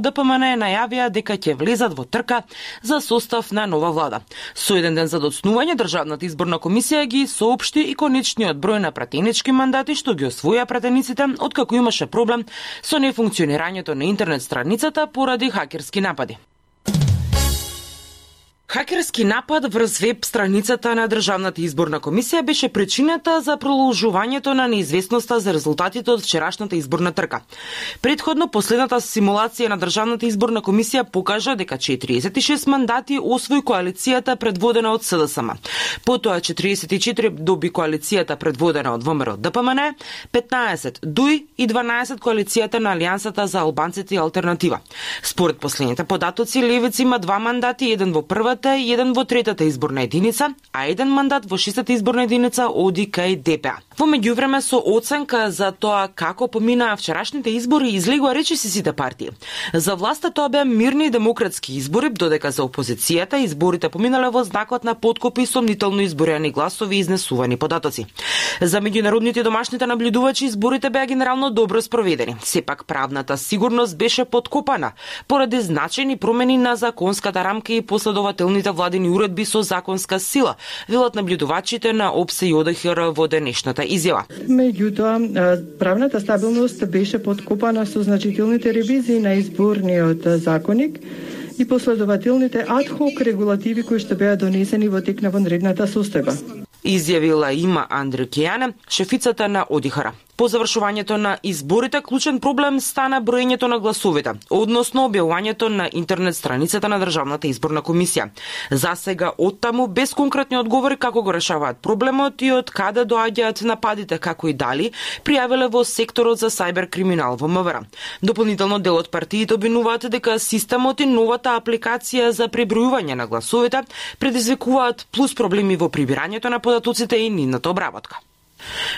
ДПМН најавија дека ќе влезат во трка за состав на нова влада. Со еден ден за доцнување, Државната изборна комисија ги соопшти и конечниот број на пратенички мандати што ги освоја пратениците, откако имаше проблем со нефункционирањето на интернет страницата поради хакерски напади. Хакерски напад врз веб страницата на Државната изборна комисија беше причината за продолжувањето на неизвестноста за резултатите од вчерашната изборна трка. Предходно, последната симулација на Државната изборна комисија покажа дека 46 мандати освои коалицијата предводена од СДСМ. Потоа 44 доби коалицијата предводена од ВМРО ДПМН, 15 ДУИ и 12 коалицијата на Алијансата за албанците и алтернатива. Според последните податоци, Левица има 2 мандати, еден во првата и еден во третата изборна единица, а еден мандат во шестата изборна единица оди кај ДПА. Во меѓувреме, со оценка за тоа како поминаа вчерашните избори, излегува речиси сите партии. За власта тоа беа мирни и демократски избори, додека за опозицијата изборите поминале во знакот на подкупи и сомнително изброени гласови и изнесувани податоци. За меѓународните и домашните наблюдувачи изборите беа генерално добро спроведени. Сепак правната сигурност беше подкопана поради значајни промени на законската рамка и последователните владени уредби со законска сила, велат наблюдувачите на ОПСЕ и ОДХР во денешната изјава. Меѓутоа, правната стабилност беше подкопана со значителните ревизии на изборниот законник и последователните адхок регулативи кои што беа донесени во тек на вонредната состојба. Изјавила има Андре Кејане, шефицата на ОДХР. По завршувањето на изборите, клучен проблем стана броењето на гласовите, односно објавувањето на интернет страницата на Државната изборна комисија. За сега оттаму без конкретни одговори како го решаваат проблемот и од каде доаѓаат нападите, како и дали пријавиле во секторот за сајбер криминал во МВР. Дополнително дел од партиите обвинуваат дека системот и новата апликација за пребројување на гласовите предизвикуваат плюс проблеми во прибирањето на податоците и нивната обработка.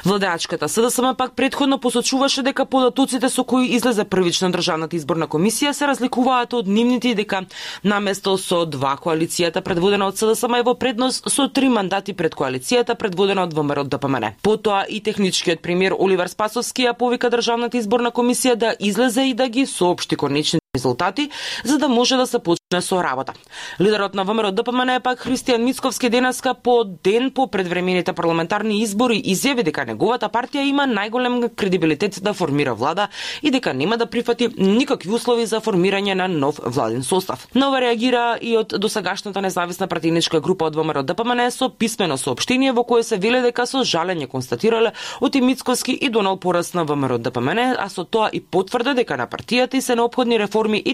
Владеачката СДСМ пак предходно посочуваше дека податоците со кои излезе првично Државната изборна комисија се разликуваат од нивните и дека наместо со 2 коалицијата предводена од СДСМ е во предност со 3 мандати пред коалицијата предводена од ВМРО ДПМН. Потоа и техничкиот премиер Оливер Спасовски ја повика Државната изборна комисија да излезе и да ги соопшти конечни резултати, за да може да се почне со работа. Лидерот на ВМРО ДПМН пак Христијан Мицковски денеска по ден по предвремените парламентарни избори изјави дека неговата партија има најголем кредибилитет да формира влада и дека нема да прифати никакви услови за формирање на нов владен состав. Нова реагира и од досегашната независна партиничка група од ВМРО ДПМН со писмено соопштение во кое се вели дека со жалење констатирале од Мицковски и донал пораст на ВМРО ДПМН, а со тоа и потврди дека на партијата и се неопходни реформи и